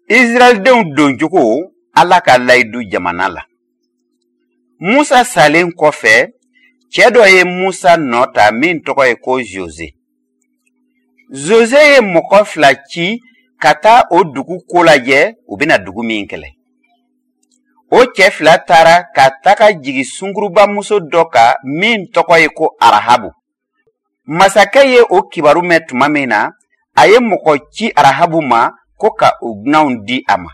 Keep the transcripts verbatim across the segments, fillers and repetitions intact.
Israɛldenw doncogo Ala ka layidu jamana la. Musa salen kɔfɛ, cɛ dɔ ye Musa nɔ ta min tɔgɔ ye ko Joze. Joze ye mɔgɔ fila ci ka taa o dugu ko lajɛ, u bɛna dugu min kɛlɛ. O cɛ fila taara ka taga jigin sunkurubamuso dɔ kan min tɔgɔ ye ko Arahabu. Masakɛ ye o kibaru mɛn tuma min na, a ye mɔgɔ ci Arahabu ma ko ka o dunanw di a ma.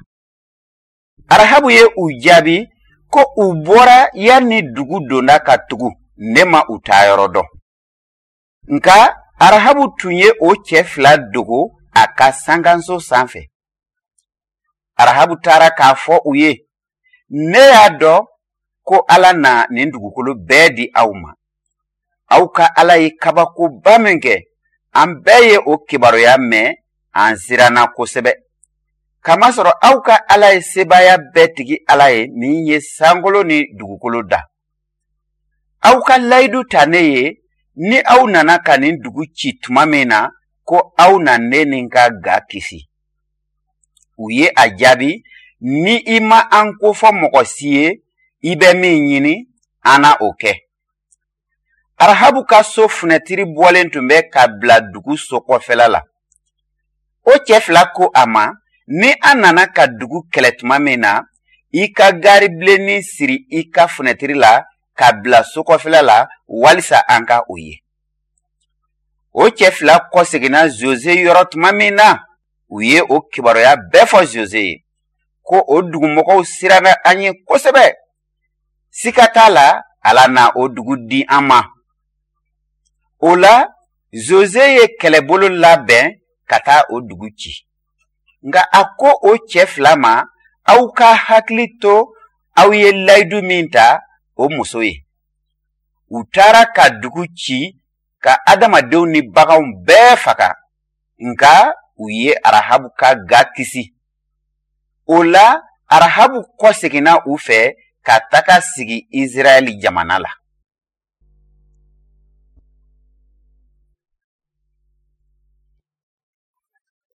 Arahabu ye u jaabi ko u bɔra yanni dugu donda ka tugu, ne ma u taayɔrɔ dɔn. Nka Arahabu tun ye o cɛ fila dogo a ka sankanso sanfɛ. Arahabu taara k'a fɔ u ye, ne y'a dɔn ko Ala na nin dugukolo bɛɛ di aw ma. Aw ka Ala ye kabakoba min kɛ, an bɛɛ ye o kibaruya mɛn, an siranna kosɛbɛ. Kamasɔrɔ aw ka Ala ye sebaaya bɛɛ tigi Ala ye min ye sankolo ni dugukolo da. Aw ka layidu ta ne ye, ni aw nana ka nin dugu ci tuma min na, ko aw na ne ni n ka ga kisi. U ye a jaabi, ni i ma an kofɔ mɔgɔ si ye, i bɛ min ɲini, an na o kɛ. Arahabu ka so funɛtiri bɔlen tun bɛ ka bila dugu so kɔfɛla la. O cɛ fila ko a ma, ni an nana ka dugu kɛlɛ tuma min na, i ka gaari bilennin siri i ka funɛtiri la ka bila so kɔfɛla la walisa an ka o ye. O cɛ fila kɔseginna Joze yɔrɔ tuma min na, u ye o kibaruya bɛɛ fɔ Joze ye, ko o dugumɔgɔw siranna an ye kosɛbɛ. Sika t'a la, Ala na o dugu di an ma. O la, Joze ye kɛlɛbolo labɛn ka taa o dugu ci. Nka a ko o cɛ fila ma, aw ka hakili to aw ye layidu min ta o muso ye. U taara ka dugu ci ka adamadenw ni baganw bɛɛ faga, nka u ye Arahabu ka ga kisi. O la, Arahabu kɔseginna u fɛ ka taga sigi Israɛl jamana la.